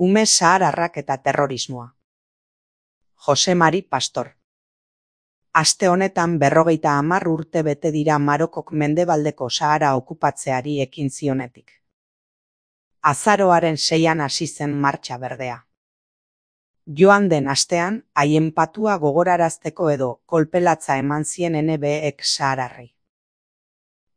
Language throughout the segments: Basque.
Ume sahararrak eta terrorismoa. Jose Mari Pastor. Aste honetan 50 urte bete dira Marokok mendebaldeko Sahara okupatzeari ekin zionetik. Azaroaren 6an hasi zen martxa berdea. Joan den astean, haien patua gogorarazteko edo kolpelatza eman zien NBek sahararrei.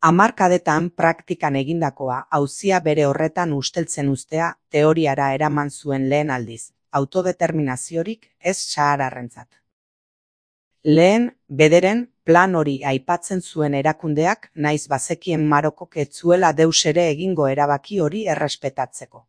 Hamarkadetan praktikan egindakoa auzia bere horretan usteltzen uztea teoriara eraman zuen lehen aldiz, autodeterminaziorik ez sahararrentzat. Lehen, bederen, plan hori aipatzen zuen erakundeak naiz bazekien Marokok ez zuela deus ere egingo erabaki hori errespetatzeko.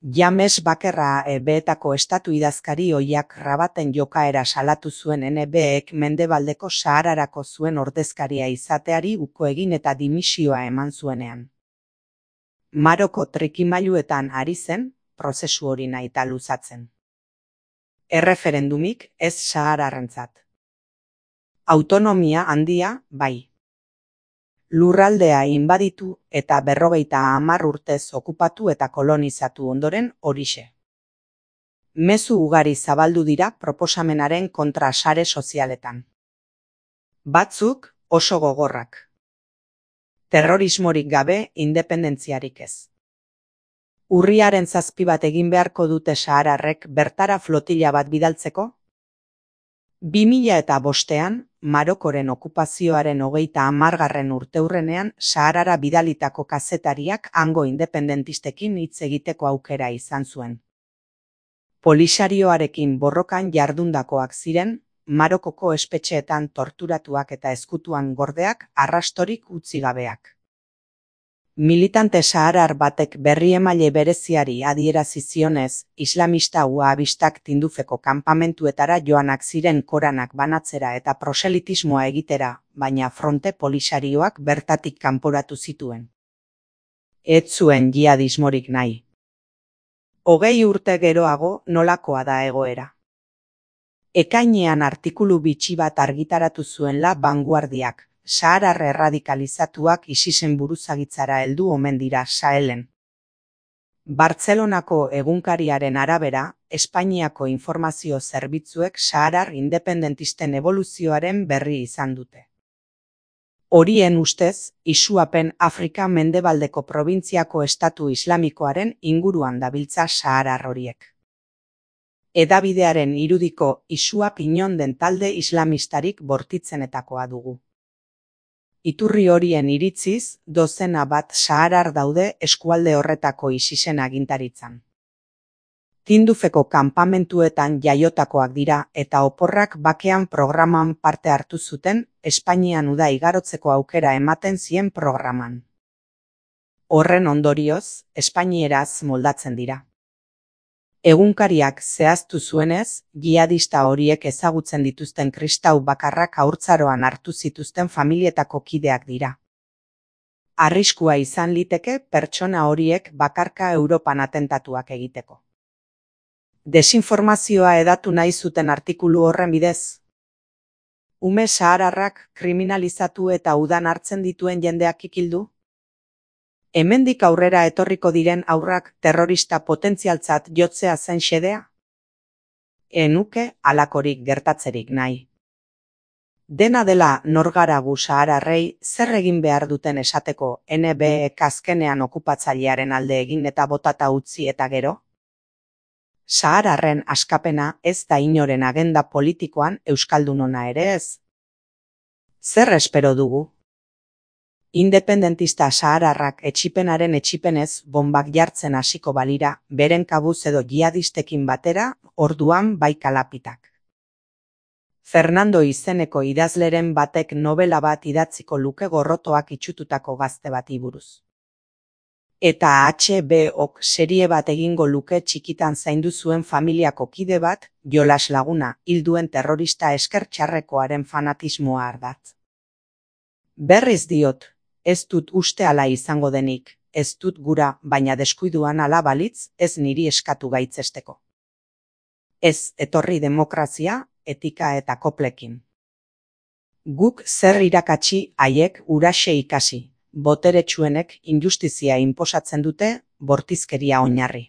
James Bakerra beetako estatu idazkari ohiak Rabaten jokaera salatu zuen NBek mendebaldeko Sahararako zuen ordezkaria izateari uko egin eta dimisioa eman zuenean. Maroko trikimailuetan ari zen, prozesu hori nahita luzatzen. Erreferendumik ez sahararrentzat. Autonomia handia, bai. Lurraldea inbaditu eta 50 urtez okupatu eta kolonizatu ondoren horixe. Mezu ugari zabaldu dira proposamenaren kontra sare sozialetan. Batzuk oso gogorrak. Terrorismorik gabe independentziarik ez. Urriaren 7 bat egin beharko dute sahararrek bertara flotila bat bidaltzeko? 2005an, Marokoren okupazioaren 30. urteurrenean Saharara bidalitako kazetariak hango independentistekin hitz egiteko aukera izan zuen. Polisarioarekin borrokan jardundakoak ziren, Marokoko espetxeetan torturatuak eta ezkutuan gordeak arrastorik utzi gabeak. Militante saharar batek berriemaile bereziari adierazi zionez, islamista wahabistak Tindufeko kanpamentuetara joanak ziren Koranak banatzera eta proselitismoa egitera, baina fronte polisarioak bertatik kanporatu zituen. Ez zuen jihadismorik nahi. 20 urte geroago nolakoa da egoera. Ekainean artikulu bitxi bat argitaratu zuen La Vanguardiak. Saharar erradikalizatuak ISISen buruzagitzara heldu omen dira Sahelen. Bartzelonako egunkariaren arabera, Espainiako informazio zerbitzuek saharar independentisten eboluzioaren berri izan dute. Horien ustez, isuapen Afrika mendebaldeko probintziako estatu islamikoaren inguruan dabiltza saharar horiek. Hedabidearen irudiko Isuap inon den talde islamistarik bortitzenetakoa dugu. Iturri horien iritziz, dozena bat saharar daude eskualde horretako ISISen agintaritzan. Tindufeko kanpamentuetan jaiotakoak dira eta oporrak bakean programan parte hartu zuten, Espainian uda igarotzeko aukera ematen zien programan. Horren ondorioz, espainieraz moldatzen dira. Egunkariak zehaztu zuenez, jihadista horiek ezagutzen dituzten kristau bakarrak haurtzaroan hartu zituzten familietako kideak dira. Arriskua izan liteke pertsona horiek bakarka Europan atentatuak egiteko. Desinformazioa hedatu nahi zuten artikulu horren bidez. Ume sahararrak kriminalizatu eta udan hartzen dituen jendeak ikildu? Hemendik aurrera etorriko diren haurrak terrorista potentzialtzat jotzea zen xedea? Enuke halakorik gertatzerik nahi. Dena dela norgara gu sahararrei zer egin behar duten esateko NBek azkenean okupatzailearen alde egin eta botata utzi eta gero? Sahararren askapena ez da inoren agenda politikoan euskaldunona ere ez. Zer espero dugu? Independentista sahararrak etsipenaren etsipenez bonbak jartzen hasiko balira, beren kabuz edo jihadistekin batera, orduan bai kalapitak. Fernando izeneko idazleren batek novela bat idatziko luke gorrotoak itxututako gazte bati buruz. Eta HBO-k serie bat egingo luke txikitan zaindu zuen familiako kide bat, jolas laguna, hil duen terrorista esker txarrekoaren fanatismoa ardatz. Berriz diot, ez dut uste ala izango denik, ez dut gura, baina deskuiduan ala balitz, ez niri eskatu gaitzesteko. Ez etorri demokrazia, etika eta koplekin. Guk zer irakatsi haiek huraxe ikasi, boteretsuenek injustizia inposatzen dute, bortizkeria oinarri.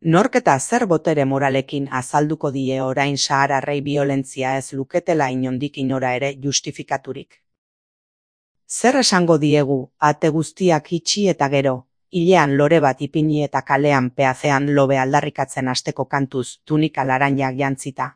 Nork eta zer botere moralekin azalduko die orain sahararrei biolentzia ez luketela inondik inora ere justifikaturik. Zer esango diegu, ate guztiak itxi eta gero, hilean lore bat ipini eta kalean peazean lobe aldarrikatzen hasteko kantuz tunika laranjak jantzita.